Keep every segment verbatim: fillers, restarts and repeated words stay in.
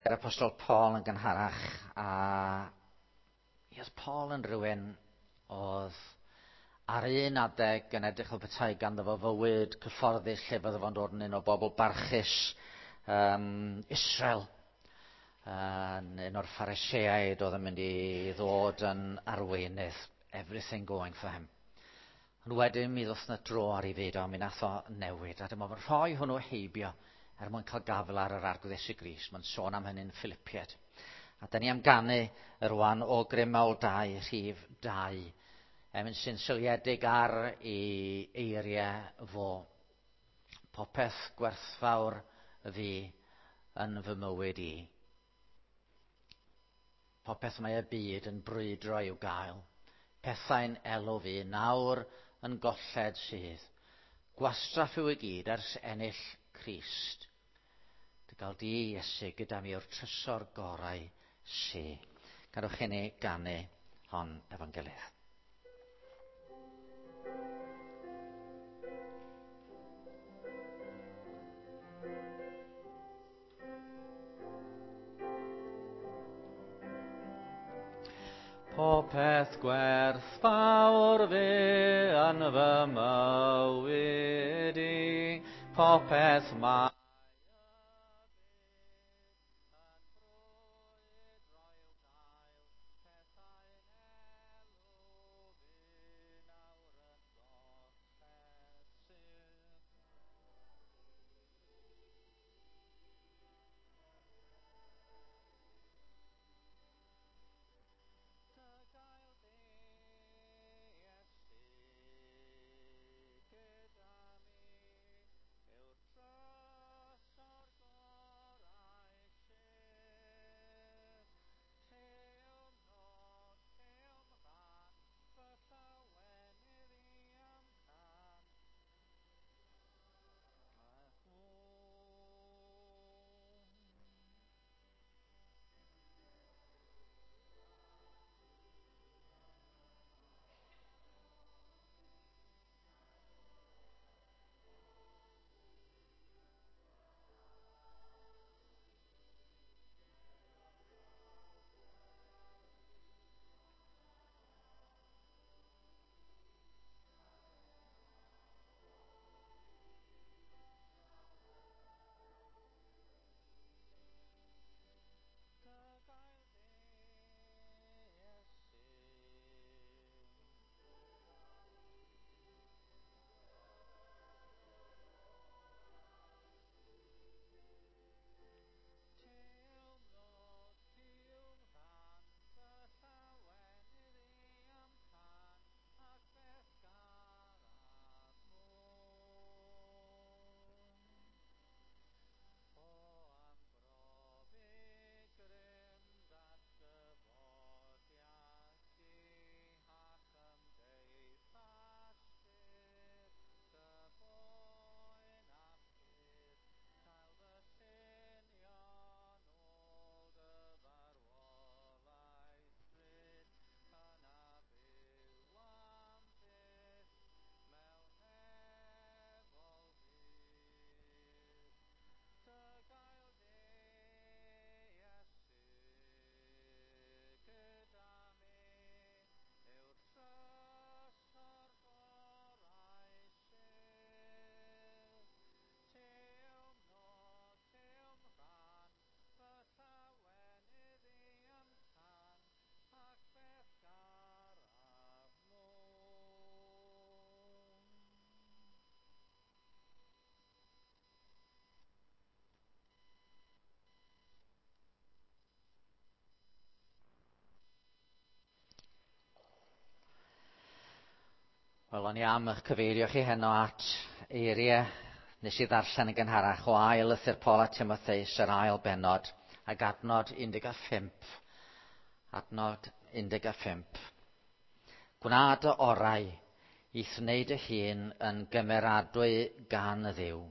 Yr Apostol Paul yn gynharach, a oedd Paul yn rhywun oedd ar un adeg yn edrych fel petai ganddo fo fywyd cyfforddus lle bydde fo'n dod yn un o bobl barchus um, Israel, yn un o'r Phariseaid oedd yn mynd i ddod yn arweinydd, everything going for him. Ond wedyn mi ddoth 'na dro ar ei fyd o, mi nath o newid, a dyma fo'n rhoi hwnnw heibio er mwyn cael gafel ar yr Arglwydd Iesu Grist. Mae'n sôn am hynny'n Philippiaid. A da ni am ganu rwan O Grym Mawl dau, rhif dau. Emyn sy'n seiliedig ar ei eiriau fo. Popeth gwerthfawr fi yn fy mywyd i. Popeth mae y byd yn brwydro i'w gael. Pethau'n elw fi, nawr yn golled sydd. Gwastraff yw i gyd ers ennill Crist. Dy gael di, Iesu, gyda mi o'r trysor gorau sy. Gadewch i ni ganu hon efo'n gilydd. Popeth gwerthfawr fi yn fy mywyd i, popeth mae Wel, o'n i am eich cyfeirio chi heno at eiriau nes i ddarllen yn gynharach o ail lythyr Paul a Timotheus, yr ail bennod, ac adnod un deg pump. Adnod un deg pump. Gwna dy orau i'th wneud dy hun yn gymeradwy gan y Dduw,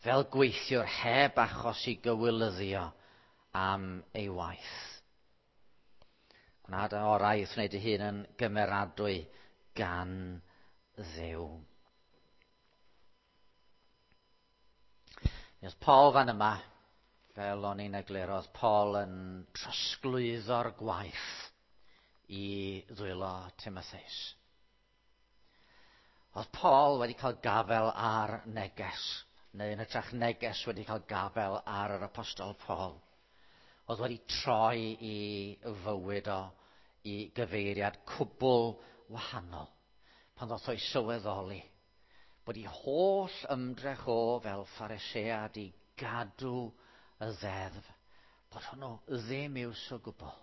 fel gweithiwr heb achos i gywilyddio am ei waith. Gwna dy orau i'th wneud dy hun yn gymeradwy gan Dduw. Mi oedd Paul fan yma Fel o'n i'n egluro, oedd Paul yn trosglwyddo'r gwaith i ddwylo Timotheus. Oedd Paul wedi cael gafel ar neges, neu yn hytrach neges wedi cael gafel ar yr apostol Paul. Oedd wedi troi i fywyd o i gyfeiriad cwbl wahanol pan ddoth o'i sylweddoli bod ei holl ymdrech o fel Pharisead i gadw y ddeddf, bod hwnnw ddim iws o gwbl.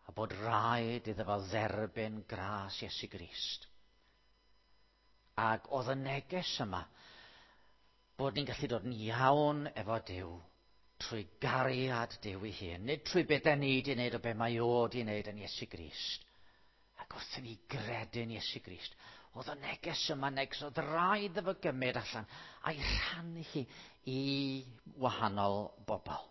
A bod rhaid iddo fo dderbyn gras Iesu Grist. Ac oedd y neges yma bod ni'n gallu dod yn iawn efo Duw trwy gariad Duw ei hun, nid trwy beth da ni wedi wneud o be mae o wedi wneud yn Iesu Grist. Ac wrth i ni gredu'n Iesu Grist, oedd y neges yma, neges oedd rhaid iddo fo gymryd allan a'i rhannu hi i wahanol bobl.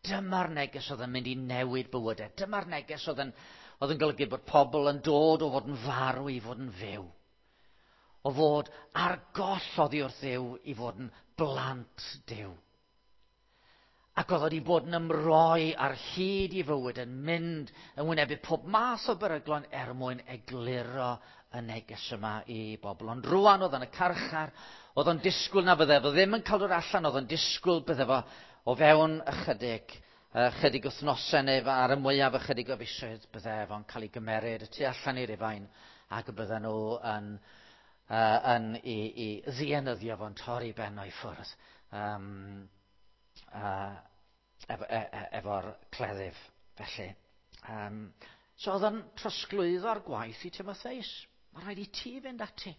Dyma'r neges oedd yn mynd i newid bywydau. Dyma'r neges oedd yn, oedd yn golygu bod pobl yn dod o fod yn farw i fod yn fyw. O fod ar goll oddi wrth Dduw i fod yn blant Duw. Ac oedd wedi bod yn ymroi ar hyd i fywyd yn mynd yn wynebu pob math o beryglon er mwyn egluro y neges yma i bobl. Ond rwan oedd yn y carchar, oedd o'n disgwyl na fydde fo ddim yn cael dod allan, oedd o'n disgwyl bydde fo o fewn ychydig, ychydig wythnosau neu ar y mwyaf ychydig o fisoedd bydde fo'n cael ei gymeryd y tu allan i Rufain ac y bydden nhw yn, uh, yn i, i ddienyddio fo'n torri ben o'i ffwrdd um, uh, efo, e, e, efo'r cleddyf. Felly, um, so oedd o'n trosglwyddo'r gwaith i Timotheus. Mae rhaid i ti fynd ati.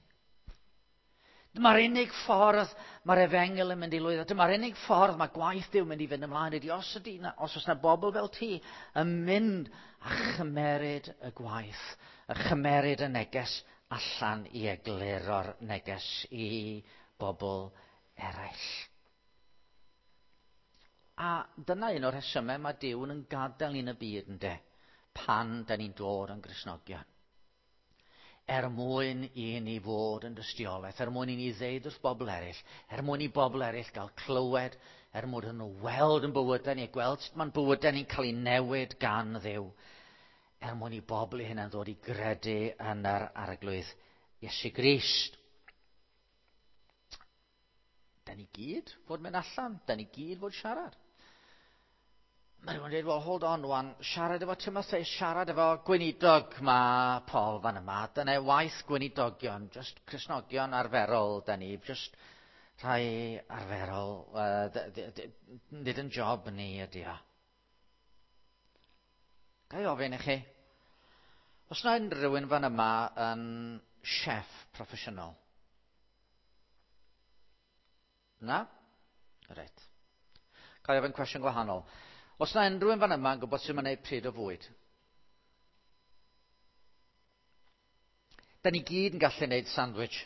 Dyma'r unig ffordd mae'r efengyl yn mynd i lwyddo. Dyma'r unig ffordd mae gwaith Duw yn mynd i fynd ymlaen ydy os, ydy, os oes yna bobl fel ti yn mynd a chymeryd y gwaith, a chymeryd y neges allan i egluro'r neges i bobl eraill. A dyna un o'r rhesymau mae Duw yn gadael ni'n y byd ynde, pan da ni'n dod yn Gristnogion. Er mwyn i ni fod yn dystiolaeth, er mwyn i ni ddeud wrth bobl eraill, er mwyn i bobl eraill gael clywed, er mwyn iddyn nhw weld yn bywydau ni, gweld sut mae'n bywydau ni'n cael ei newid gan Dduw, er mwyn i bobl i hynna'n ddod i gredu yn yr Arglwydd Iesu Grist. Da ni gyd fod mynd allan, da ni gyd fod siarad. Mae rhywun yn dweud, well, hold on wan, siarad efo Timotheus, siarad efo gweinidog mae Paul fan yma. Dyna waith gweinidogion, just Cristnogion arferol da ni, just rhai arferol, uh, nid yn job ni ydy o. Ga i ofyn i chi, os na unrhyw un fan yma yn chef proffesiynol? Na? Reit. Ga i ofyn cwestiwn gwahanol. Os na unrhyw un fan yma yn gwybod sut mae'n gwneud pryd o fwyd? Da ni gyd yn gallu gwneud sandwich.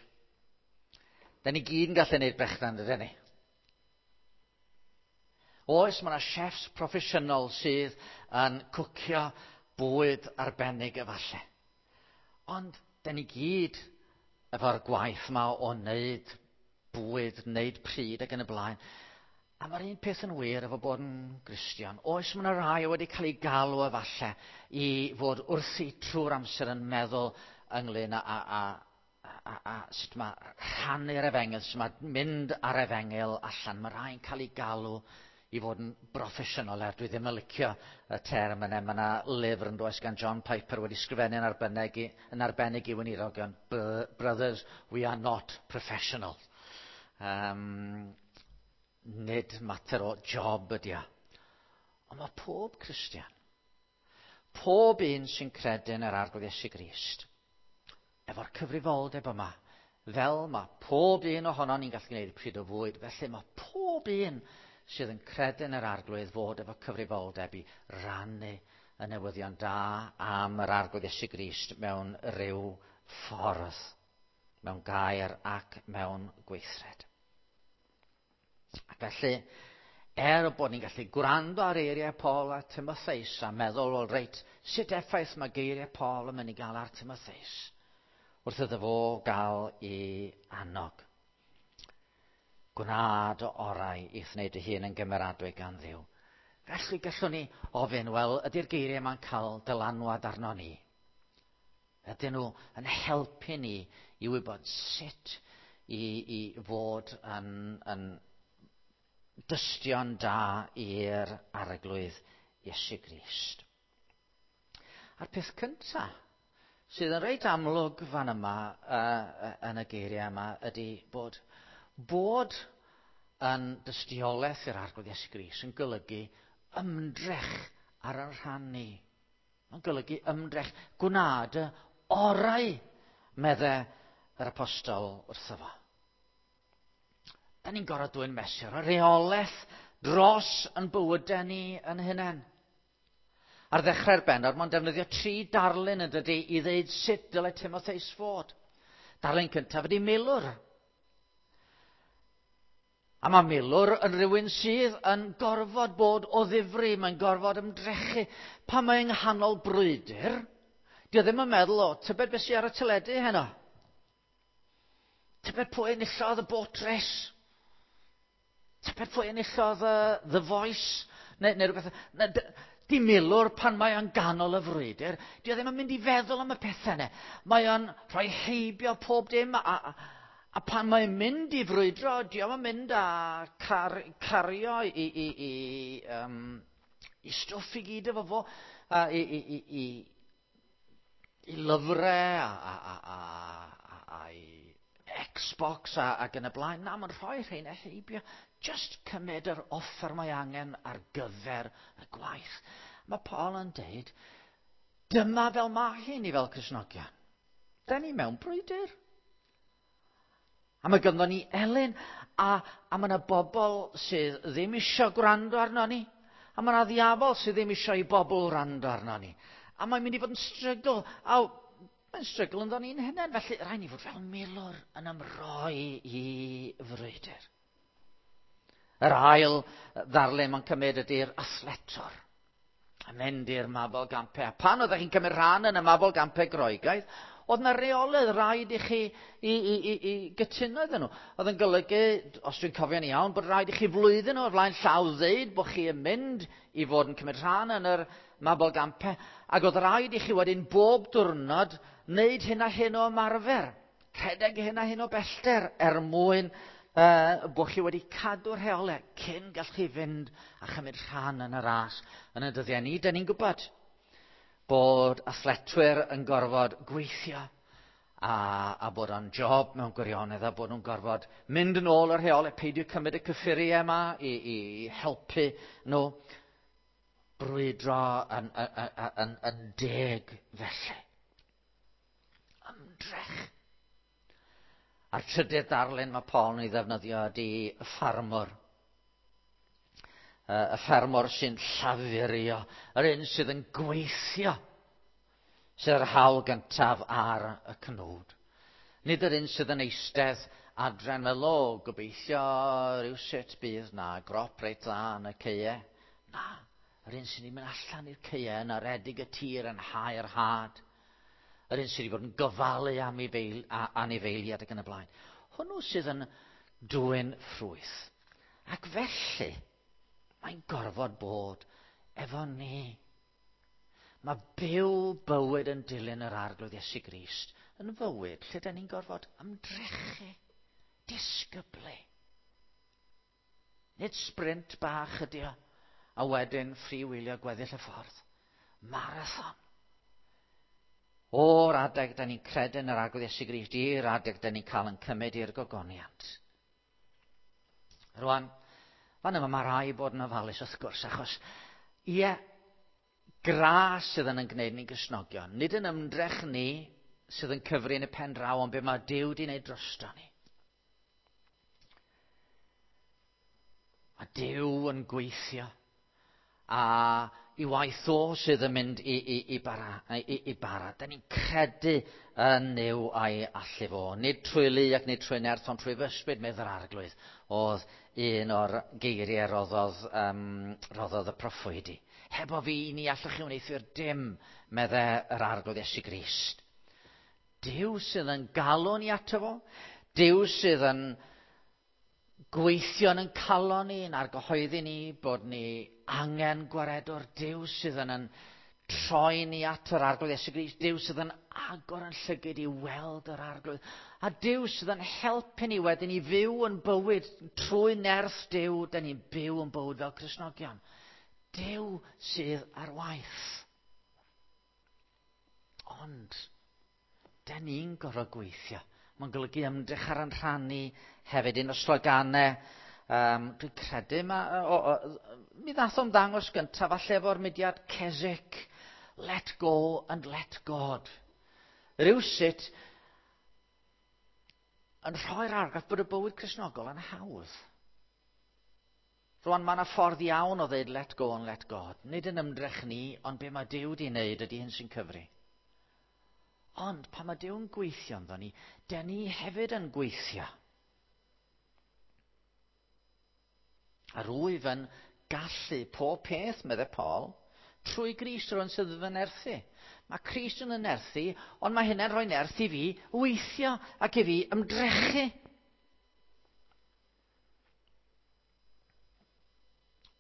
Da ni gyd yn gallu gwneud brechdan, dydyn ni? Oes, mae yna chefs proffesiynol sydd yn cwcio bwyd arbennig efallai. Ond da ni gyd efo'r gwaith yma o wneud bwyd, wneud pryd ac yn y blaen. A mae'r un peth yn wir efo bod yn Gristion. Oes, mae yna rai wedi cael ei galw efallai i fod wrthi trwy'r amser yn meddwl ynglyn â, a, a, a, a sut mae rhannu'r efengyl, sut mae mynd ar efengyl allan. Mae rhai'n cael ei galw i fod yn broffesiynol, er dwi ddim yn licio y term yna. Mae yna lyfr yn does gan John Piper wedi sgrifennu yn arbennig i, yn arbennig i weinidogion. Brothers, we are not professional. Um, nid mater o job ydy o. Ond mae pob Cristion, pob un sy'n credu yn yr Arglwydd Iesu Grist, efo'r cyfrifoldeb yma, fel mae pob un ohonon ni'n gallu gwneud pryd o fwyd, felly mae pob un sydd yn credu yn yr Arglwydd fod efo cyfrifoldeb i rannu y newyddion da am yr Arglwydd Iesu Grist mewn rhyw ffordd, mewn gair ac mewn gweithred. Ac felly, er bod ni'n gallu gwrando ar eiriau Paul a Timotheus a meddwl, wel reit, sut effaith mae geiriau Paul yn mynd i gael ar Timotheus wrth iddo fo gael ei annog. Gwna dy orau i'th wneud dy hun yn gymeradwy gan Dduw. Felly gallwn ni ofyn, wel, ydy'r geiriau yma'n cael dylanwad arno ni? Ydyn nhw yn helpu ni i wybod sut i, i fod yn, yn dystion da i'r Arglwydd Iesu Grist? A'r peth cyntaf sydd yn reit amlwg fan yma uh, yn y geiriau yma ydy bod bod yn dystiolaeth i'r Arglwydd Iesu Grist yn golygu ymdrech ar ein rhan ni. Mae'n golygu ymdrech, gwna dy orau, medde yr apostol wrtho fo. Da ni'n gorfod dwyn mesur o reolaeth dros yn bywydau ni yn hunain. Ar ddechrau'r bennod, mae'n defnyddio tri darlun yn dydy i ddeud sut dylai Timotheus fod. Darlun cyntaf ydy milwr. A mae milwr yn rhywun sydd yn gorfod bod o ddifri, mae'n gorfod ymdrechu. Pan mae yng nghanol brwydr, di o ddim yn meddwl, o, tybed beth sydd ar y teledu heno? Tybed pwy enillodd y boat race? Tybed pwy enillodd y The Voice? Neu, neu rhywbeth. Ne, di milwr pan mae o'n ganol y frwydr, di o ddim yn mynd i feddwl am y pethau yna. Mae o'n rhoi heibio pob dim, a, a, a pan mae'n mynd i frwydro, di o'm yn mynd a car, cario i, i, i, um, i stwff i gyd efo fo, a, i, i, i, i, i lyfrau, a, a, a, a, a, a i Xbox a, ac yn y blaen. Na, mae'n rhoi rheina heibio. Just cymryd yr offer mae angen ar gyfer y gwaith. Mae Paul yn deud, dyma fel mae hi ni fel Cristnogion. Da ni mewn brwydr. A mae ganddo ni elyn, a, a mae yna bobl sydd ddim eisiau gwrando arno ni. A mae yna ddiafol sydd ddim eisiau i bobl wrando arno ni. A mae'n mynd i fod yn strygl. A mae'n strygl ynddo ni'n hunain. Felly rhaid ni fod fel milwr yn ymroi i frwydr. Yr ail ddarlun mae'n cymryd ydy'r athletwr. A mynd i'r Mabolgampau. A pan oeddech chi'n cymryd rhan yn y Mabolgampau Groegaidd, oedd yna reolydd rhaid i chi i, i, i, i gytuno iddyn nhw. Oedd yn golygu, os dwi'n cofio'n iawn, bod rhaid i chi flwyddyn o'r flaen llaw ddeud bod chi yn mynd i fod yn cymryd rhan yn yr Mabolgampau. Ac oedd rhaid i chi wedyn bob diwrnod wneud hyn a hyn o ymarfer. Rhedeg hyn a hyn o bellter er mwyn uh, bod chi wedi cadw'r rheolau cyn gall chi fynd a chymryd rhan yn y ras yn y dyddiau ni. Da ni'n gwybod bod athletwyr yn gorfod gweithio a, a bod o'n job mewn gwirionedd a bod nhw'n gorfod mynd yn ôl yr rheolau, peidio cymryd y cyffuriau yma i, i helpu nhw brwydro yn, yn, yn, yn, yn deg felly. Ymdrech. A'r trydydd darlun mae Paul yn ei ddefnyddio ydy y ffarmwr. Y ffermwr sy'n llafurio, yr un sydd yn gweithio, sydd yr hawl gyntaf ar y cnwd. Nid yr un sydd yn eistedd adre'n fel, o, gobeithio rhywsut bydd na grop reit dda yn y caeau. Na, yr un sydd wedi mynd allan i'r caeau yn aredig y tir yn hau'r had. Yr un sydd wedi bod yn gofalu am anifeiliaid ac yn y blaen. Hwnnw sydd yn dwyn ffrwyth. Ac felly, mae'n gorfod bod efo ni. Mae byw bywyd yn dilyn yr Arglwydd Iesu Grist yn fywyd lle da ni'n gorfod ymdrechu, disgyblu. Nid sprint bach ydi o, a wedyn freewheelio gweddill y ffordd. Marathon. O'r adeg da ni'n credu yn yr Arglwydd Iesu Grist i'r adeg da ni'n cael yn cymryd i'r gogoniant. Rwan, fan yma mae rhaid bod yn ofalus wrth gwrs, achos ie, gras sydd yn yn gwneud ni'n Gristnogion, nid yn ymdrech ni sydd yn cyfri yn y pen draw, ond be mae Duw wedi wneud drosto ni. Mae Duw yn gweithio, a i waith o sydd yn mynd i, i, i, bara, i, i bara. Da ni'n credu yn Nuw a'i allu fo. Nid trwy lu ac nid trwy nerth, ond trwy fy ysbryd, medd yr Arglwydd, oedd un o'r geiriau roddodd, um, roddodd y proffwydi. Hebo fi, ni allwch chi wneuthur dim, medde yr Arglwydd Iesu Grist. Duw sydd yn galw ni ato fo. Duw sydd yn gweithio yn calon ni, yn argyhoeddi ni bod ni angen gwaredwr. Duw sydd yn, yn troi ni at yr Arglwydd Iesu Grist, Duw sydd yn agor yn llygyd i weld yr Arglwydd, a Duw sydd yn helpu ni wedyn i fyw yn bywyd trwy nerth Duw, da ni'n byw yn bywyd fel Cristnogion. Duw sydd ar waith. Ond, da ni'n gorfod gweithio. Mae'n golygu ymdrech ar yn rhan ni hefyd. Un o sloganau, um, dwi'n credu, ma, o, o, mi ddath o'n ddangos gyntaf falle efo'r mudiad Keswick, "Let go and let God." Rywsut yn rhoi'r argraff bod y bywyd Cristnogol yn hawdd. Rwan, mae yna ffordd iawn o ddeud "let go and let God". Nid yn ymdrech ni, ond be mae Duw di wneud ydy hyn sy'n cyfri. Ond pan mae Duw'n gweithio ynddo ni, den ni hefyd yn gweithio. A rwyf yn gallu pob peth, meddai Paul, trwy Grist rwy'n sydd fy nerthu. Mae Crist yn y nerthu, ond mae hynny'n rhoi nerth i fi weithio ac i fi ymdrechu.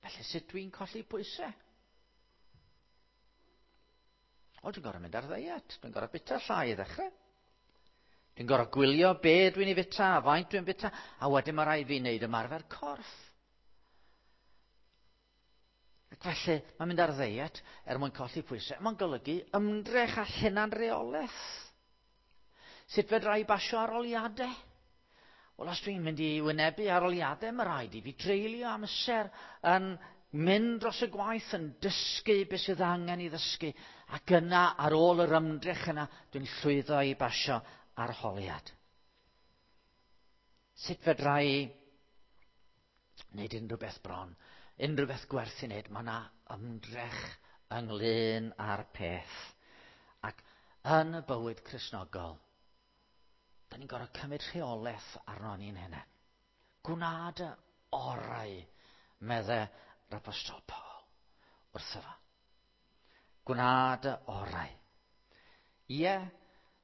Felly sut dwi'n colli pwysau? O, dwi'n gorfod mynd ar ddeiet. Dwi'n gorfod bita llai i ddechrau. Dwi'n gorfod gwylio be dwi'n ei fita, a faint dwi'n bita, a wedyn mae rhaid fi wneud ymarfer corff. Ac felly, mae'n mynd ar ddeiet er mwyn colli pwysau. Mae'n golygu ymdrech a hunanreolaeth. Sut fedra i basio arholiadau? Wel, os dwi'n mynd i wynebu arholiadau, mae rhaid i fi dreulio amser yn mynd dros y gwaith, yn dysgu beth sydd angen i ddysgu. Ac yna, ar ôl yr ymdrech yna, dwi'n llwyddo i basio arholiad. Sut fedra i wneud unrhyw beth bron, unrhyw beth gwerth i wneud? Mae yna ymdrech ynglyn â'r peth. Ac yn y bywyd Cristnogol, da ni'n gorfod cymryd rheolaeth arno ni'n hunain. Gwna dy orau, medde yr Apostol Paul wrtho fo. Gwna dy orau. Ie,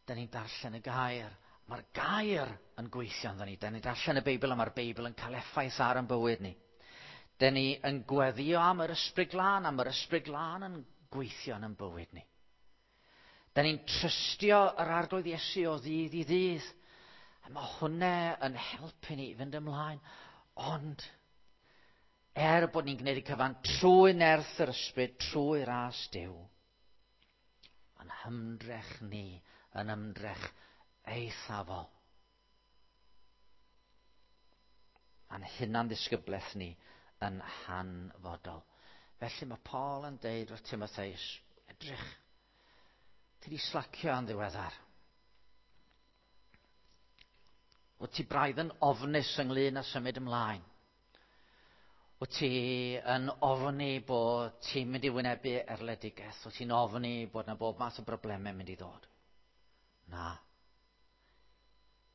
da ni'n darllen y gair. Mae'r gair yn gweithio ynddo ni. Da ni'n darllen y Beibl a mae'r Beibl yn cael effaith ar ein bywyd ni. Da ni yn gweddio am yr Ysbryd Glân, am yr Ysbryd Glân yn gweithio yn ein bywyd ni. Da ni'n trystio yr Arglwydd Iesu o ddydd i ddydd. A mae hwnna yn helpu ni i fynd ymlaen. Ond, er bod ni'n gwneud y cyfan trwy nerth yr Ysbryd, trwy ras Duw, mae'n hymdrech ni yn ymdrech eithafol. Mae'n hunan ddisgyblaeth ni yn hanfodol. Felly mae Paul yn deud wrth Timotheus, edrych, ti di slacio yn ddiweddar. Wyt ti braidd yn ofnus ynglyn â symud ymlaen. Wyt ti yn ofni bod ti'n mynd i wynebu erledigaeth. Wyt ti'n ofni bod yna bob math o broblemau mynd i ddod. Na.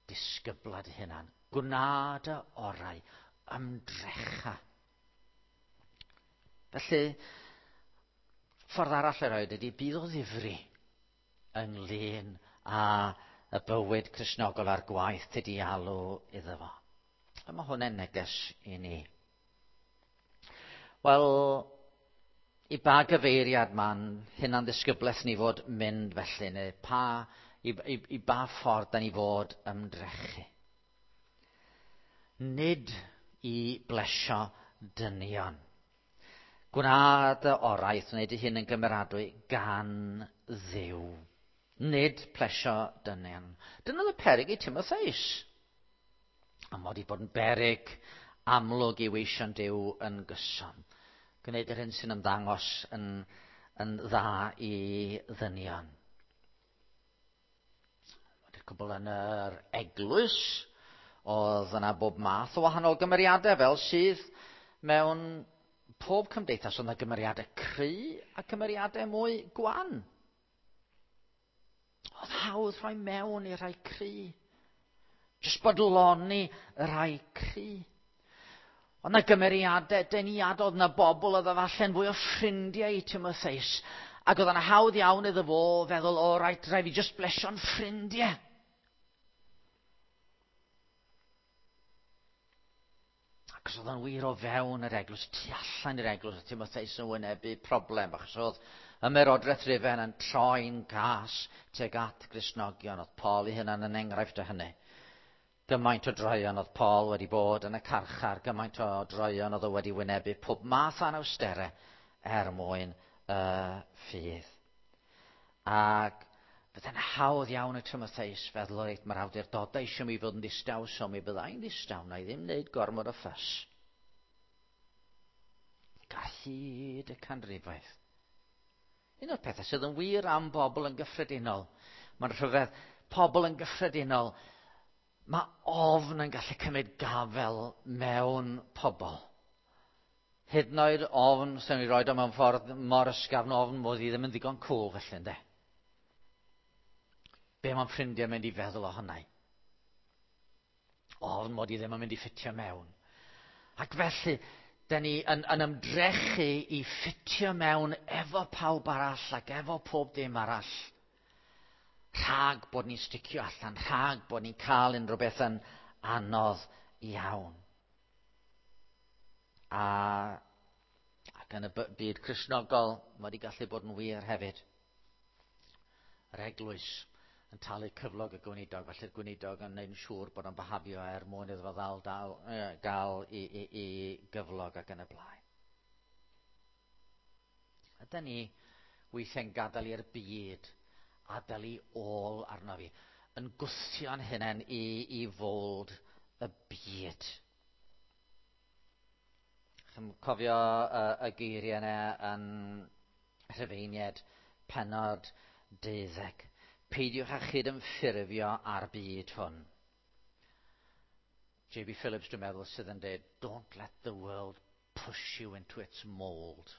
Disgybla dy hunan. Gwna dy orau. Ymdrecha. Felly, ffordd arall i roed ydy bydd o ddifri ynglyn â y bywyd Cristnogol a'r gwaith ti di alw iddo fo. A mae hwnna'n neges i ni. Wel, i ba gyfeiriad ma'n hunan ddisgyblaeth ni fod mynd felly, neu pa, i, i, i ba ffordd da ni fod ymdrechu? Nid i blesio dynion. Gwna dy orau wrth wneud dy hun yn gymeradwy gan Dduw. Nid plesio dynion. Dyna oedd y peryg i Timotheus. A mod i bod yn beryg amlwg i weision Duw yn gyson. Gwneud yr hyn sy'n ymddangos yn, yn dda i ddynion. Wedi'r cwbl, yn yr eglwys, oedd yna bob math o wahanol gymeriadau fel sydd mewn pob cymdeithas. Oedd yna gymeriadau cry a cymeriadau mwy gwan. Oedd hawdd rhoi mewn i rhai cry. Jyst bodloni y rhai cry. Oedd yna gymeriadau deniadol, oedd yna bobl oedd falle'n fwy o ffrindiau i Timotheus. Ac oedd yna hawdd iawn iddo fo feddwl, o rhaid, rhaid fi jyst blesio'n ffrindiau. Achos oedd o'n wir o fewn yr eglwys, tu allan i'r eglwys, oedd Timotheus yn wynebu problem, achos oedd ymerodraeth Rufain yn troi'n gas tuag at Gristnogion. Oedd Paul ei hunan yn enghraifft o hynny. Gymaint o droeon oedd Paul wedi bod yn y carchar, gymaint o droeon oedd o wedi wynebu pob math o anawsterau er mwyn y uh, ffydd. Ac bydde'n hawdd iawn i Timotheus feddwl, reit, mae'r awdurdodau eisiau mi fod yn ddistaw, so mi byddai'n ddistaw, na i ddim wneud gormod o ffys. Ar hyd y canrifoedd. Un o'r pethau sydd yn wir am bobl yn gyffredinol, mae'n rhyfedd, pobl yn gyffredinol, mae ofn yn gallu cymryd gafel mewn pobl. Hyd yn oed ofn, sy'n ei roed o mewn ffordd mor ysgafn, ofn mod i ddim yn ddigon cool felly, ynde? Be mae'n ffrindiau mynd i feddwl o hynny? Ofn mod i ddim yn mynd i ffitio mewn. Ac felly, da ni yn, yn ymdrechu i ffitio mewn efo pawb arall ac efo pob dim arall. Rhag bod ni'n sticio allan, rhag bod ni'n cael unrhyw beth yn anodd iawn. A, ac yn y byd Cristnogol, mae wedi gallu bod yn wir hefyd. Yr eglwys yn talu cyflog y gweinidog, felly'r gweinidog yn gwneud yn siŵr bod o'n behafio er mwyn iddo fo ddal dal, e, gael i, i, i gyflog ac yn y blaen. Ydy ni weithiau'n gadael i'r byd, adael i ôl arno fi, yn gwthio'n hunain i, i fod y byd. Chi'n cofio uh, y geiriau yna yn Rhufeiniaid pennod deuddeg. Peidiwch â chyd-ymffurfio â'r byd hwn. J B Phillips, dwi'n meddwl, sydd yn dweud, don't let the world push you into its mould.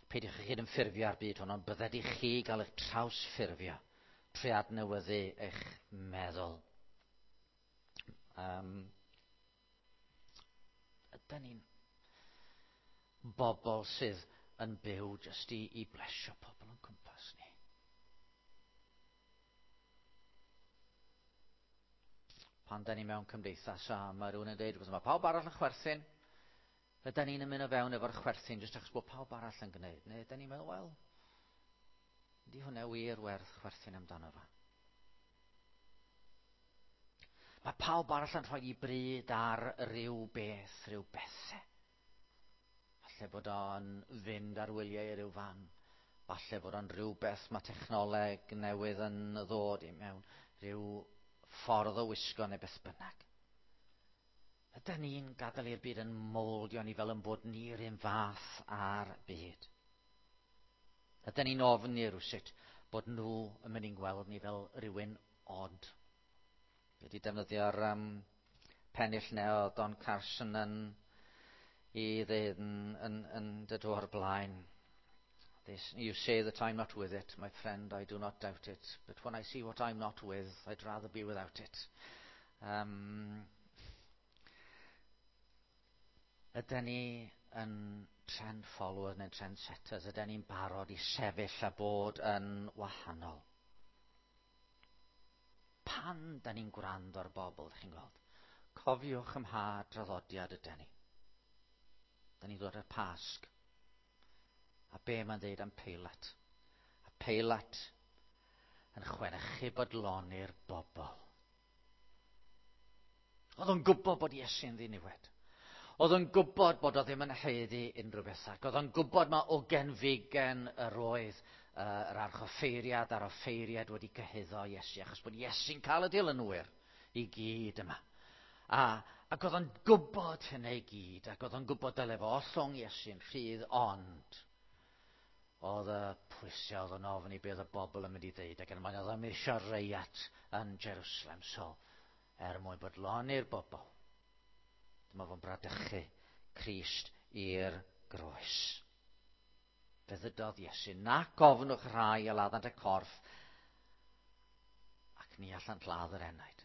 Peidiwch â chyd-ymffurfio â'r byd hwn, ond bydded i chi gael eich trawsffurfio trwy adnewyddu eich meddwl. Um, ydy ni'n bobl sydd yn byw jyst i, i blesio pobl yn cwmpas ni? Pan da ni mewn cymdeithas a mae rhywun yn dweud, mae pawb arall yn chwerthin, ydy ni'n ymuno fewn efo'r chwerthin jyst achos bod pawb arall yn gwneud? Neu ydy ni'n meddwl, wel, ydy hwnna wir werth chwerthin amdano fo? Mae pawb arall yn rhoi i bryd ar ryw beth, rhyw bethau. Falle bod o'n fynd ar wyliau i ryw fan. Falle bod o'n rhywbeth mae technoleg newydd yn ddod i mewn, rhyw ffordd o wisgo neu beth bynnag. Ydy ni'n gadael i'r byd yn moldio ni fel yn bod ni'r un fath â'r byd? Ydy ni'n ofni rywsut bod nhw yn mynd i'n gweld ni fel rhywun od? Wedi defnyddio'r um, pennill neu o Don Carson yn i ddeud yn, yn, yn dod o'r blaen. This, you say that I'm not with it, my friend, I do not doubt it. But when I see what I'm not with, I'd rather be without it. Um, ydy ni yn trend followers neu trend setters? Ydy ni'n barod i sefyll a bod yn wahanol? Pan da ni'n gwrando ar bobl, chi'n gweld, cofiwch ym mha draddodiad ydy ni. Da ni'n dod ar Pasg. A be mae'n dweud am Peilat? A Peilat yn chwenychu bodloni'r bobl. Oedd o'n gwybod bod Iesu'n ddiniwed. Oedd o'n gwybod bod o ddim yn haeddu unrhyw beth. Ac oedd o'n gwybod mae o genfigen yr oedd uh, yr archoffeiriad a'r offeiriad wedi cyhuddo Iesu, achos bod Iesu'n cael y dilynwyr i gyd yma. A, ac oedd o'n gwybod hynny i gyd, ac oedd o'n gwybod dyle fo ollwng Iesu'n rhydd, ond oedd y pwysau oedd yn ofn i beth y bobl yn mynd i ddeud, ac yn mae'n oedd yn eisiau reiat yn Jerusalem, so er mwyn bodloni'r bobl, dyma fo'n bradychu Crist i'r groes. Fe ddydodd Iesu, nac ofnwch rhai a laddant y corff, ac ni allant ladd yr enaid.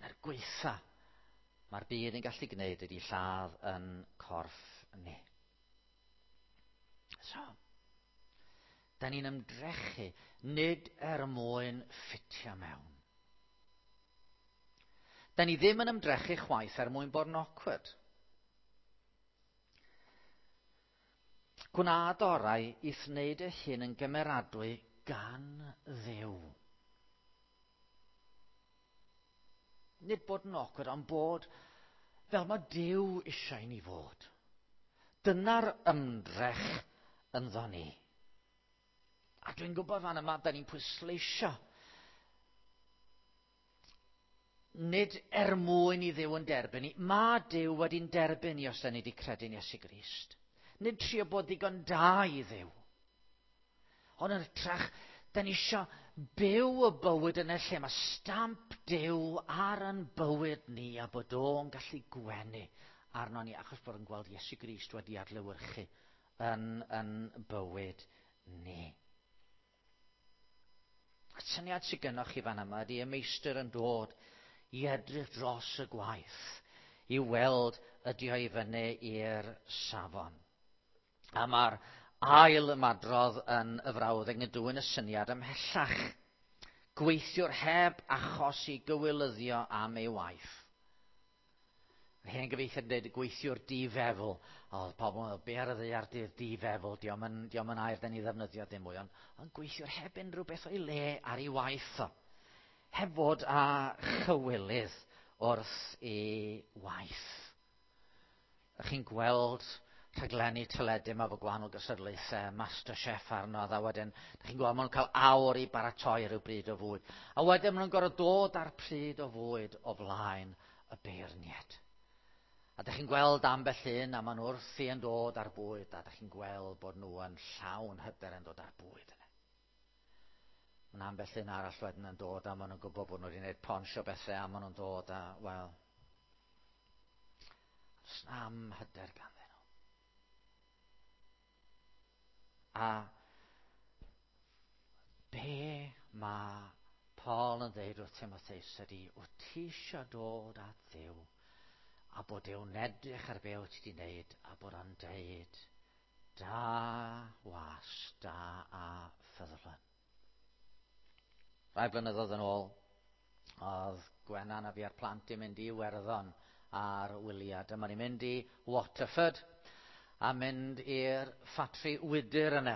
Na'r gweitha mae'r byd yn gallu gwneud ydy lladd yn corff ni. So, da ni'n ymdrechu nid er mwyn ffitio mewn. Da ni ddim yn ymdrechu chwaith er mwyn bod yn awkward. Gwna orau i'th wneud y hyn yn gymeradwy gan Dduw. Nid bod yn awkward, ond bod fel mae Duw eisiau ni fod. Dyna'r ymdrech ynddo ni. A dwi'n gwybod fan yma, da ni'n pwysleisio. Nid er mwyn i Dduw yn derbyn ni. Mae Duw wedi'n derbyn ni os da ni wedi credu'n Iesu Grist. Nid trio bod ddigon da i Dduw. Ond yn hytrach, da ni isio byw y bywyd yn y lle mae stamp Duw ar yn bywyd ni a bod o'n gallu gwenu arno ni achos bod yn gweld Iesu Grist wedi adlewyrchu yn, yn bywyd ni. Y syniad sydd gennych chi fan yma ydy y meistr yn dod i edrych dros y gwaith i weld ydy o i fyny i'r safon. A mae'r ail ymadrodd yn y frawddeg yn dwyn y syniad ymhellach. Gweithiwr heb achos i gywilyddio am ei waith. Yr hen gyfieithiad yn dweud gweithiwr difefl. Oedd pobl yn meddwl, be ar y ddaear di'r difefl? Dio'm yn, dio'm yn air da ni ddefnyddio dim mwy, ond, ond gweithiwr heb unrhyw beth o'i le ar ei waith o. Heb fod â chywilydd wrth ei waith. Ych chi'n gweld rhaglenni teledu yma efo gwahanol gystadlaethau, MasterChef arno, a wedyn, ydych chi'n gweld, maen nhw'n cael awr i baratoi rhyw bryd o fwyd. A wedyn maen nhw'n gorfod dod â'r pryd o fwyd o flaen y beirniad. A ydych chi'n gweld ambell un, a maen nhw wrthi yn dod ar bwyd, a ydych chi'n gweld bod nhw yn llawn hyder yn dod ar bwyd yna. Mae'n ambell un arall wedyn yn dod, a maen nhw'n gwybod bod nhw wedi gwneud pons o bethau, a maen nhw'n dod, a, wel, does na'm hyder ganddyn nhw. A be mae Paul yn dweud wrth Timotheus ydy, wyt ti eisiau dod at Dduw, a bod Duw'n edrych ar be wyt ti wedi wneud, a bod o'n deud, da was, da a ffyddlon. Rai blynyddoedd yn ôl, oedd Gwenan a fi a'r plant i mynd i Iwerddon ar wyliad. Dyma ni'n mynd i Waterford a mynd i'r ffatri wydr yna,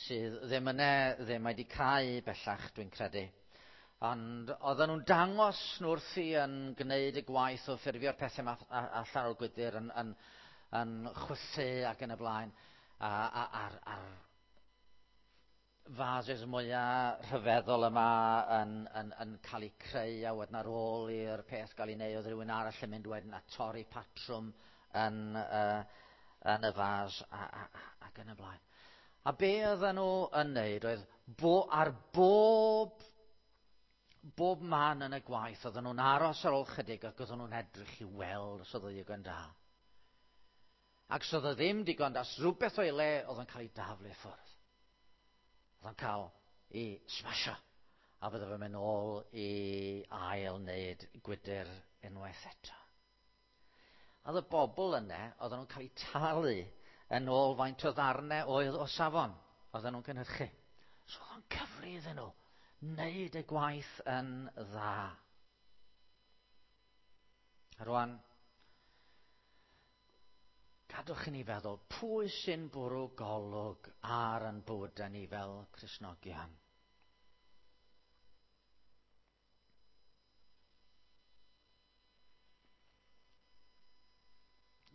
sydd ddim yna, ddim wedi cau bellach, dwi'n credu. Ond oedden nhw'n dangos nhw wrthi yn gwneud y gwaith o ffurfio'r pethau yma allan o'r gwydr yn, yn, yn chwythu ac yn y blaen, a, a, a'r, a'r vases mwyaf rhyfeddol yma yn, yn, yn cael eu creu, a wedyn ar ôl i'r peth gael ei wneud, oedd rhywun arall yn mynd wedyn a torri patrwm yn, uh, yn y fas a, a, a, ac yn y blaen. A be oedden nhw yn wneud oedd bo, ar bob, bob man yn y gwaith, oedden nhw'n aros ar ôl chydig ac oedden nhw'n edrych i weld os oedd o ddigon da. Ac os oedd o ddim digon da, os rhywbeth o'i le, oedd o'n cael ei daflu ffwrdd. Oedd o'n cael ei smasho. A fydde fe'n mynd ôl i ail wneud gwydr unwaith eto. Oedd y bobl yna, oedden nhw'n cael eu talu yn ôl faint o ddarnau oedd o safon oedden nhw'n cynhyrchu. So oedd o'n cyfri iddyn nhw wneud y gwaith yn dda. A rwan, gadwch i ni feddwl, pwy sy'n bwrw golwg ar yn bywydau ni fel Cristnogion?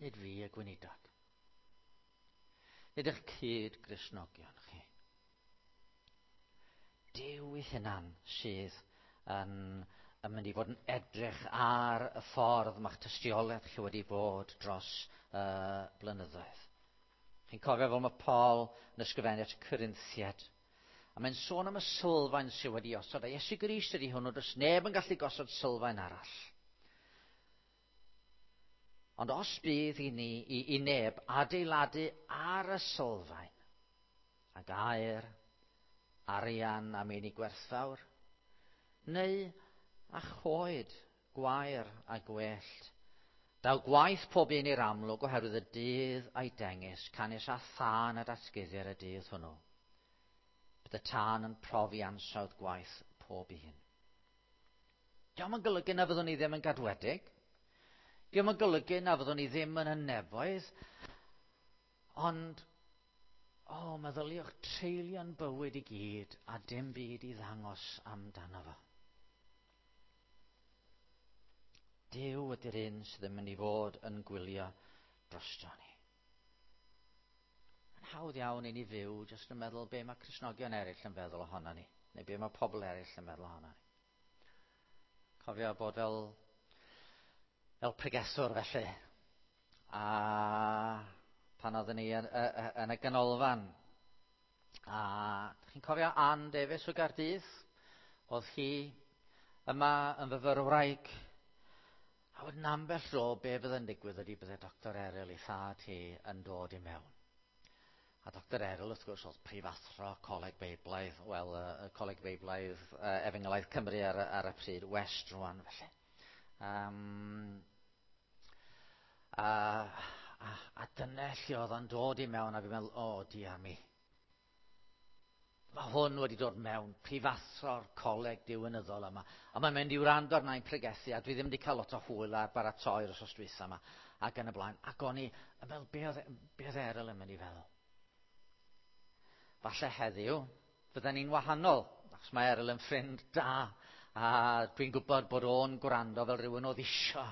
Nid fi y gweinidog. Nid eich cyd Gristnogion chi. Duw ei hunan sydd yn, yn mynd i fod yn edrych ar y ffordd mae'ch tystiolaeth chi wedi bod dros uh, blynyddoedd. Chi'n cofio fel mae Paul yn ysgrifennu at y Corinthiaid. A mae'n sôn am y sylfaen sydd wedi osod. A Iesu Grist ydy hwnnw, does neb yn gallu gosod sylfaen arall. Ond os bydd i ni, i, i neb, adeiladu ar y sylfaen, ac aur, arian a meini gwerthfawr, neu a choed, gwair a gwellt. Daw gwaith pob un i'r amlwg oherwydd y dydd a'i dengys, canys a thân a datguddir y dydd hwnnw. Bydd y tân yn profi ansawdd gwaith pob un. Dio'm yn golygu na fyddwn ni ddim yn gadwedig. Dio'm yn golygu na fyddwn ni ddim yn y nefoedd. Ond, o, oh, meddyliwch treulio'n bywyd i gyd a dim byd i ddangos amdano fo. Duw ydy'r un sydd yn mynd i fod yn gwylio drosto ni. Yn hawdd iawn i ni fyw jyst yn meddwl be mae Cristnogion eraill yn feddwl ohono ni, neu be mae pobl eraill yn meddwl ohono ni. Cofio bod fel, fel pregethwr felly, a pan oeddwn ni yn, yn y ganolfan, a chi'n cofio Ann Davies o Gaerdydd? Oedd hi yma yn fyfyrwraig. A wedyn ambell dro, be fydd yn digwydd ydy bydde Doctor Eryl ei thad hi yn dod i mewn. A Doctor Eryl, wrth gwrs, oedd prifathro Coleg Beiblaidd, wel, uh, Coleg Beiblaidd uh, Efengylaidd Cymru ar, ar y pryd, West rwan, felly. Um, a, a, a dyna lle oedd o'n dod i mewn, a fi'n meddwl, o, oh, diar mi. Mae hwn wedi dod mewn, prifathro'r coleg diwinyddol yma. A mae'n mynd i wrando arna i'n pregethu, a dwi ddim wedi cael lot o hwyl ar baratoi'r wythnos dwytha yma, ac yn y blaen. Ac o'n i yn meddwl, be oedd, be oedd Eryl yn mynd i feddwl? Falle heddiw, fydden ni'n wahanol, achos mae Eryl yn ffrind da, a dwi'n gwybod bod o'n gwrando fel rhywun oedd isio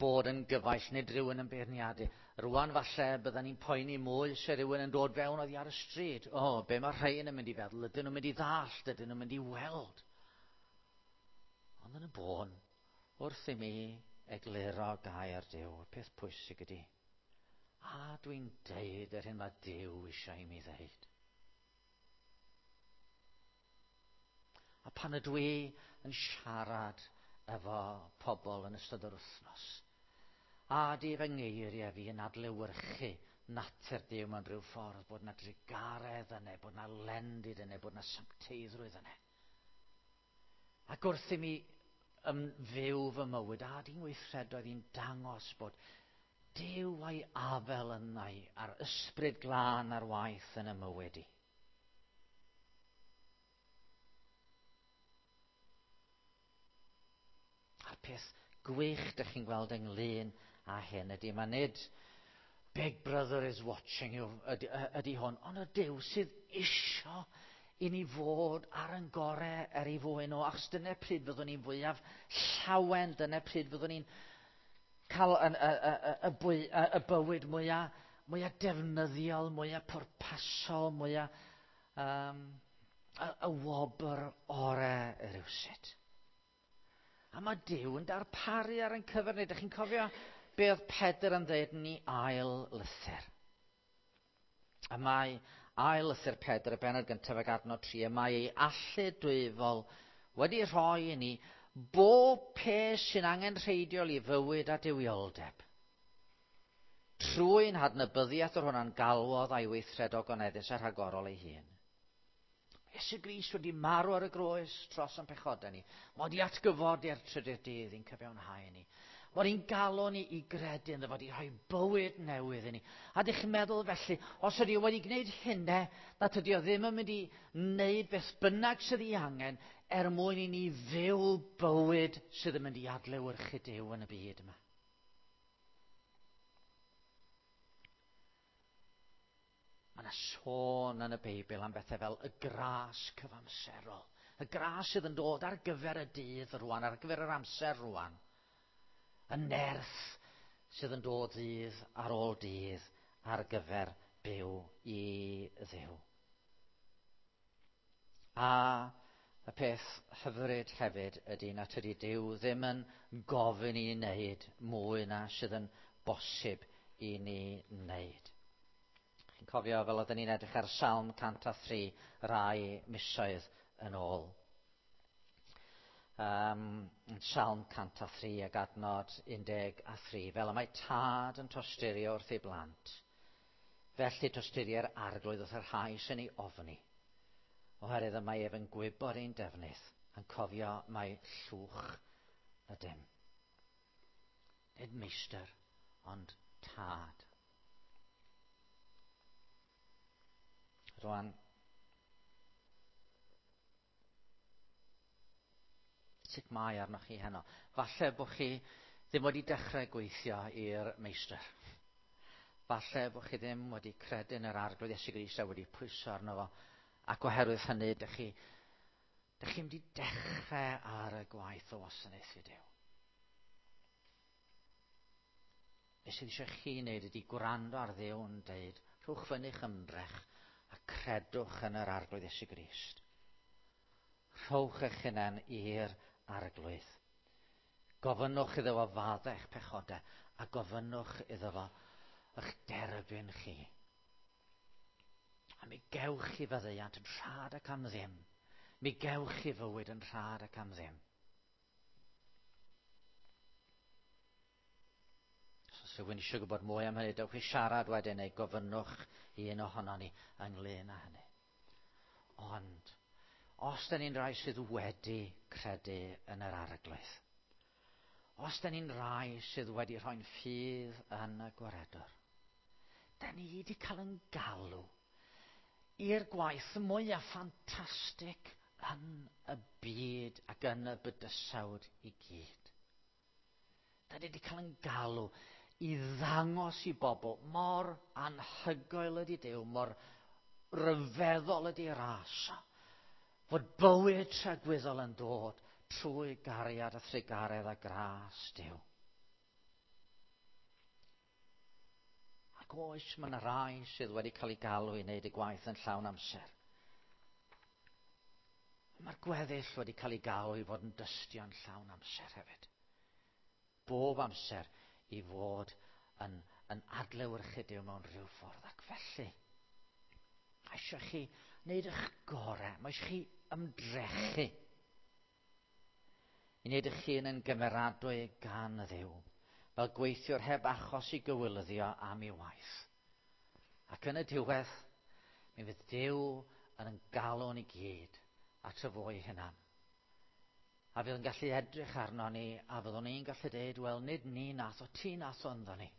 bod yn gyfaill, nid rhywun yn beirniadu. Rwan falle bydden ni'n poeni mwy se rhywun yn dod fewn oddi ar y stryd. O, oh, be mae rhain yn mynd i feddwl? Ydyn nhw'n mynd i ddallt? Ydyn nhw'n mynd i weld? Ond yn y bôn, wrth i mi egluro gair Duw, y peth pwysig ydy, a dwi'n deud yr hyn mae Duw eisiau i mi ddeud. A pan ydw i yn siarad efo pobl yn ystod yr wythnos, a di fy ngeiriau fi yn adlewyrchu natur Duw mewn rhyw ffordd, bod na drugaredd yna, bod na lendid yna, bod na sancteiddrwydd yna. Ac wrth i mi fyw fy mywyd, a di'n weithredoedd i'n dangos bod Duw a'i afel yna a'r ysbryd glân ar waith yn y mywyd i. A'r peth gwych dych chi'n gweld ynglyn â hyn ydy, mae nid Big Brother is watching you ydy, ydy hwn, ond y Duw sydd isio i ni fod ar yn gorau er ei fwyn o, achos dyna pryd fyddwn ni'n fwyaf llawen, dyna pryd fyddwn ni'n cael y, y, y, y, bwy, y, y bywyd mwyaf, mwyaf defnyddiol, mwyaf pwrpasol, mwyaf um, y, y wobr orau rywsut. A mae Duw yn darparu ar ein cyfer ni. Dych chi'n cofio be oedd Pedr yn dweud yn ei ail lythyr? A mae ail lythyr Pedr, y bennod gyntaf ag adnod tri, y mae ei allu dwyfol wedi rhoi i ni bob peth sy'n angenrheidiol i fywyd a duwioldeb. Trwy'n hadnabyddiaeth o'r hwnna'n galwodd a'i weithred ogoneddus a rhagorol ei hun. Iesu Grist wedi marw ar y groes dros ein pechodau ni. Mae wedi atgyfodi ar trydydd dydd i'n cyfiawnhau ni. Mae wedi'n galw ni i gredu ynddo fo, wedi rhoi bywyd newydd i ni. A dych chi'n meddwl felly, os ydy o wedi gwneud hynny, na tydi o ddim yn mynd i wneud beth bynnag sydd ei angen er mwyn i ni fyw bywyd sydd yn mynd i adlewyrchu Duw yn y byd yma. Mae yna sôn yn y Beibl am bethau fel y gras cyfamserol. Y gras sydd yn dod ar gyfer y dydd rwan, ar gyfer yr amser rwan. Y nerth sydd yn dod ddydd ar ôl dydd ar gyfer byw i Dduw. A y peth hyfryd hefyd ydy na tydi Duw ddim yn gofyn i ni wneud mwy na sydd yn bosib i ni wneud. Chi'n cofio fel oedden ni'n edrych ar Salm cant a thri rai misoedd yn ôl. Um, Salm cant a thri ag adnod un deg a thri. Fel y mae tad yn tosturio wrth ei blant, felly tosturi'r arglwydd wrth yr rhai sy'n ei ofni. Oherwydd y mae ef yn gwybod ein defnydd, yn cofio mai llwch ydym. Nid meistr, ond tad. Rwan, Sut mae arnoch chi heno? Falle bod chi ddim wedi dechrau gweithio i'r meistr. Falle bod chi ddim wedi credu yn yr Arglwydd Iesu Grist a wedi pwyso arno fo. Ac oherwydd hynny, dych chi, dych chi'n mynd i dechrau ar y gwaith o wasanaethu Duw. Be sydd eisiau chi wneud ydy gwrando ar Dduw yn deud, rhowch fyny'ch ymdrech a credwch yn yr Arglwydd Iesu Grist. Rhowch eich hunain i'r Arglwydd. Gofynnwch iddo fo faddau eich pechodau a gofynnwch iddo fo eich derbyn chi. A mi gewch chi faddeuant yn rhad ac am ddim. Mi gewch chi fywyd yn rhad ac am ddim. Os oes rhywun eisiau gwybod mwy am hynny, dewch i siarad wedyn neu gofynnwch i un ohonon ni ynglyn â hynny. Ond, os da ni'n rhai sydd wedi credu yn yr Arglwydd, os da ni'n rhai sydd wedi rhoi'n ffydd yn y Gwaredwr, da ni wedi cael yn galw i'r gwaith mwyaf ffantastig yn y byd ac yn y bydysawd i gyd. Da ni wedi cael yn galw i ddangos i bobl mor anhygoel ydy Duw, mor ryfeddol ydy ras, fod bywyd tragwyddol yn dod trwy gariad a thrugaredd a gras Duw. Ac oes, mae yna rai sydd wedi cael ei galw i wneud y gwaith yn llawn amser. Mae'r gweddill wedi cael ei galw i fod yn dystion llawn amser hefyd. Bob amser i fod yn, yn adlewyrchu Duw mewn rhyw ffordd. Ac felly, mae eisiau chi wneud eich gorau, mae eisiau chi ymdrechu i wneud eich hun yn gymeradwy gan Dduw, fel gweithiwr heb achos i gywilyddio am ei waith. Ac yn y diwedd, mi fydd Duw yn galw ni gyd at y fo ei hunan. A fydd yn gallu edrych arno ni, a fyddwn ni'n gallu dweud, wel, nid ni nath o, ti nath o ynddo ni.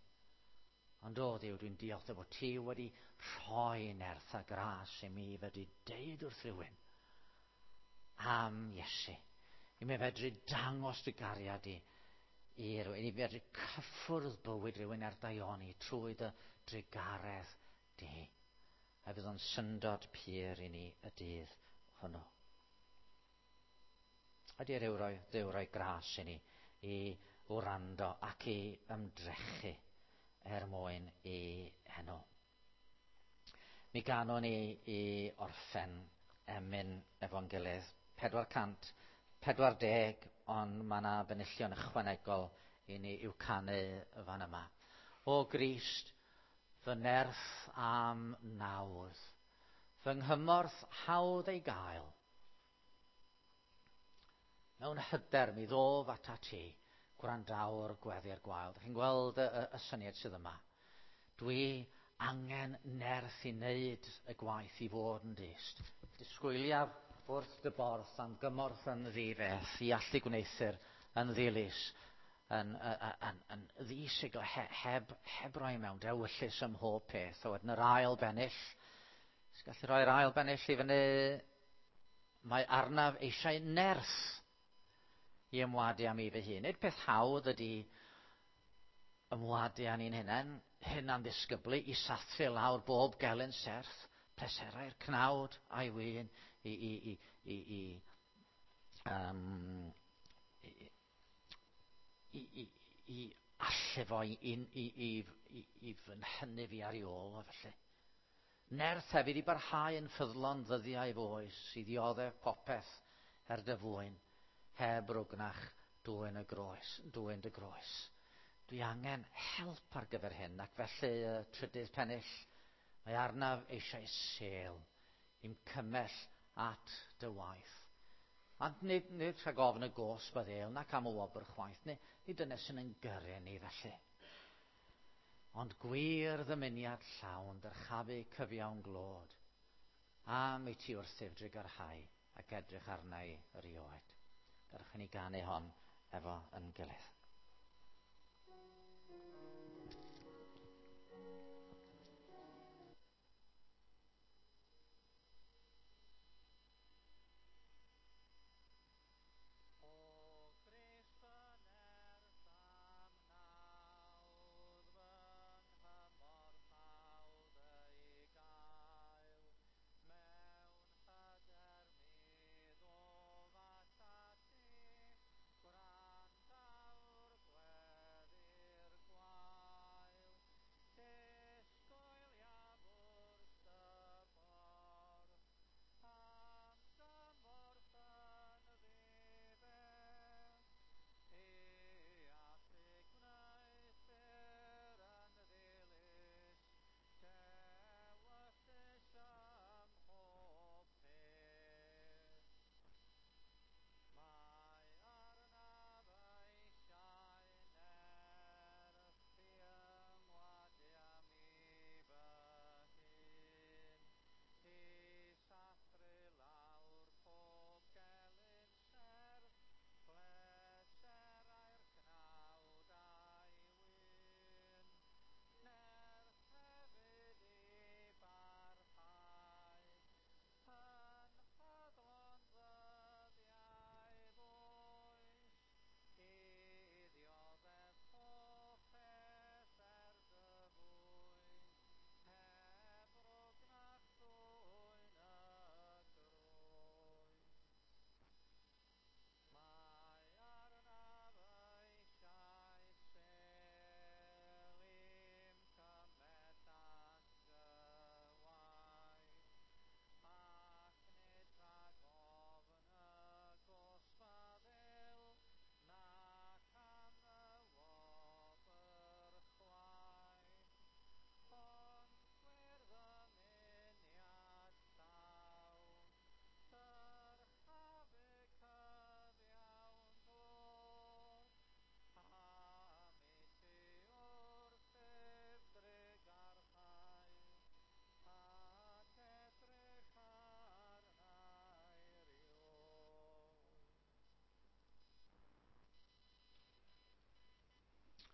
Ond o Dduw, dwi'n diolch dy fod ti wedi rhoi nerth a gras i mi fedru deud wrth rhywun am Iesu. I mi fedru dangos dy gariad i i rywun, i mi fedru cyffwrdd bywyd rhywun ar daioni trwy dy drugaredd di. A fydd o'n syndod pur i ni y dydd hwnnw. Ydy Duw roi, Duw roi gras i ni i wrando ac i ymdrechu er mwyn i enw. Mi ganwn ni i orffen emyn efo'n gilydd, pedwar cant pedwar deg, ond mae yna benillion ychwanegol i ni i'w canu fan yma. O Grist, fy nerth am nawdd, fy nghymorth hawdd ei gael. Mewn hyder mi ddof atat ti, gwrandawr gweddi'r gwael. Dych chi'n gweld y, y, y syniad sydd yma. Dwi angen nerth i wneud y gwaith i fod yn dyst. Disgwyliaf wrth dy borth am gymorth yn ddifeth i allu gwneuthur yn ddilys, yn, yn, yn, yn ddisigl, he, heb, heb roi mewn dewyllys ym mhob peth. A wedyn yr ail bennill, os gallu rhoi'r ail bennill i fyny, mae arnaf eisiau nerth i ymwadu am i fy hun. Nid peth hawdd ydy ymwadu â ni'n hunain, hunan ddisgyblu, i sathru lawr bob gelyn serth, pleserau'r cnawd a'i wyn, i, i, i, i, i, um, i, i, i, i allu fo, i, i, i, i, i fy nhynnu fi ar ei ôl o felly. Nerth hefyd i barhau yn ffyddlon ddyddiau fy oes, i ddioddef popeth er dy fwyn, heb rwgnach dwyn y groes, dwyn dy groes. Dwi angen help ar gyfer hyn, ac felly y trydydd pennill, mae arnaf eisiau sêl i'm cymell at dy waith. Ond nid, nid rhag ofn y gosb a ddêl, nac am y wobr chwaith, nid, nid dyna sy'n yn gyrru ni felly. Ond gwir ddymuniad llawn, dyrchafu cyfiawn glod, am i ti wrthyf drugarhau ac edrych arna i erioed. Gadewch i ni ganu hon efo yn gilydd.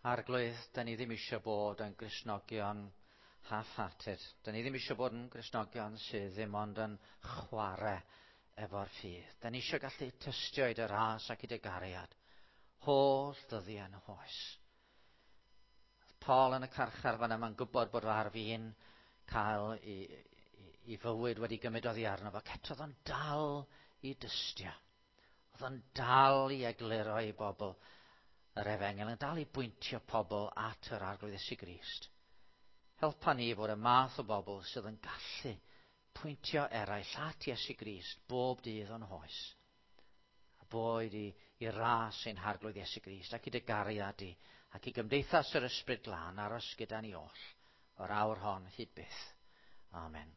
Arglwydd, da ni ddim eisiau bod yn Gristnogion half-hearted. Da ni ddim eisiau bod yn Gristnogion sydd ddim ond yn chwarae efo'r ffydd. Da ni eisiau gallu tystio i dy ras ac i dy gariad. Holl ddyddiau yn hoes. Paul yn y carchar fan yma'n gwybod bod ar fin cael i, i, i fywyd wedi gymryd oddi arno fo. Eto oedd o'n dal i dystio. Oedd o'n dal i egluro i bobl yr efengyl, yn dal i bwyntio pobl at yr Arglwydd Iesu Grist. Helpa ni fod y math o bobl sydd yn gallu pwyntio eraill at Iesu Grist bob dydd o'n hoes. A boed i, i ras ein Harglwydd Iesu Grist ac i dy gariad di ac i gymdeithas yr Ysbryd Glân aros gyda ni oll o'r awr hon hyd byth. Amen.